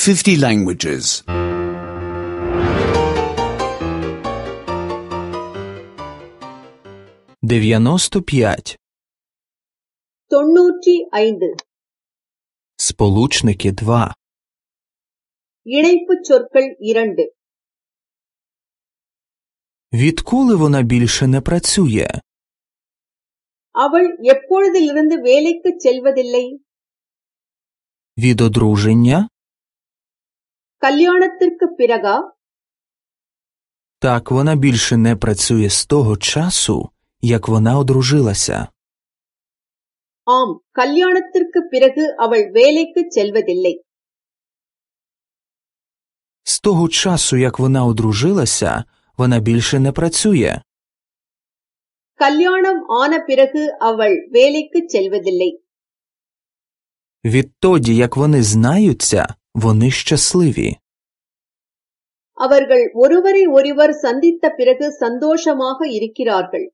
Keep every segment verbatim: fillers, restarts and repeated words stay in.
fifty languages. дев'яносто п'ять. தொண்ணூற்றி ஐந்து. Сполучники два. இணைப்புச் சொற்கள் இரண்டு. Відколи вона більше не працює? அவள் எப்பொழுதிலிருந்து வேலைக்குச் செல்வதில்லை? Від одруження? கல்யாணத்திற்குப் பிறகா? Так, вона більше не працює з того часу, як вона одружилася. ஆம், கல்யாணத்திற்குப் பிறகு அவள் வேலைக்குச் செல்வதில்லை. З того часу, як вона одружилася, вона більше не працює. கல்யாணம் ஆன பிறகு அவள் வேலைக்குச் செல்வதில்லை. Відтоді, як вони знаються, вони щасливі. அவர்கள் ஒருவரை ஒருவர் சந்தித்த பிறகு சந்தோஷமாக இருக்கிறார்கள்.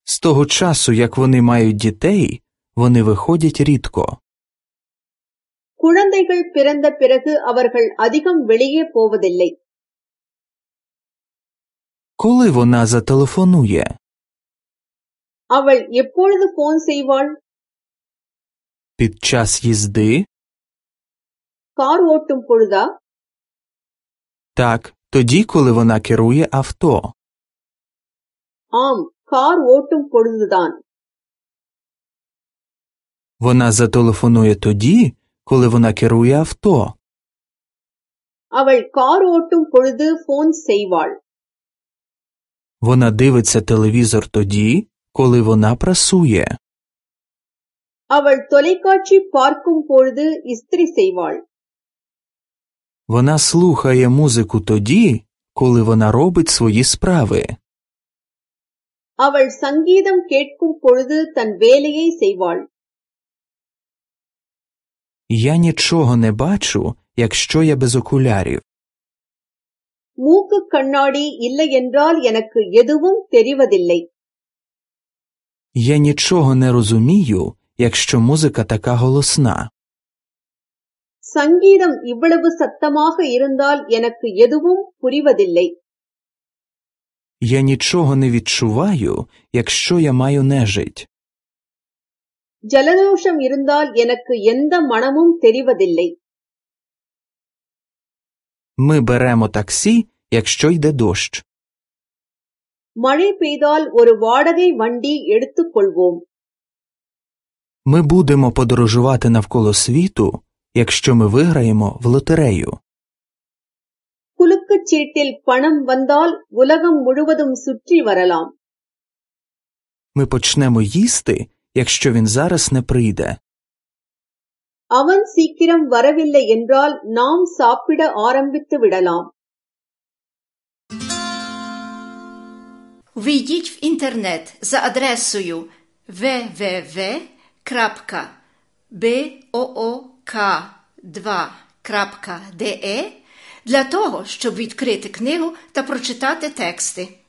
З того часу, як вони мають дітей, вони виходять рідко. குழந்தைகள் பிறந்த பிறகு அவர்கள் அதிகம் வெளியே போவதில்லை. Коли вона зателефонує? அவள் எப்பொழுது போன் செய்வாள்? Під час їзди? கார் ஓட்டும் பொழுதா? Так, тоді, коли вона керує авто. ஆம், கார் ஓட்டும் பொழுதுதான். Вона зателефонує тоді, коли вона керує авто. அவள் கார் ஓட்டும் பொழுது போன் செய்வாள். Вона дивиться телевізор тоді, коли вона прасує. அவள் தொலைக்காட்சி பார்க்கும் பொழுது இஸ்திரி செய்வாள். Вона слухає музику тоді, коли вона робить свої справи. அவள் சங்கீதம் கேட்கும் பொழுது தன் வேலையை செய்வாள். Я нічого не бачу, якщо я без окулярів. மூக்கு கண்ணாடி இல்லை என்றால் எனக்கு எதுவும் தெரிவதில்லை. Я нічого не розумію, якщо музика така голосна. சங்கீதம் இவ்வளவு சத்தமாக இருந்தால் எனக்கு எதுவும் புரிவதில்லை. Я нічого не відчуваю, якщо я маю нежить. ஜலதோஷம் இருந்தால் எனக்கு எந்த மனமும் தெரிவதில்லை. Ми беремо таксі, якщо йде дощ. மழை பெய்தால் ஒரு வாடகை வண்டி எடுத்துக் கொள்வோம். Ми будемо подорожувати навколо світу, якщо ми виграємо в лотерею. குலுக்குச் சீட்டில் பணம் வந்தால் உலகம் முழுவதும் சுற்றி வரலாம். Ми почнемо їсти, якщо він зараз не прийде. அவன் சீக்கிரம் வரவில்லை என்றால் நாம் சாப்பிட ஆரம்பித்து விடலாம். Ввійдіть в інтернет за адресою double-u double-u double-u крапка book два крапка de для того, щоб відкрити книгу та прочитати тексти.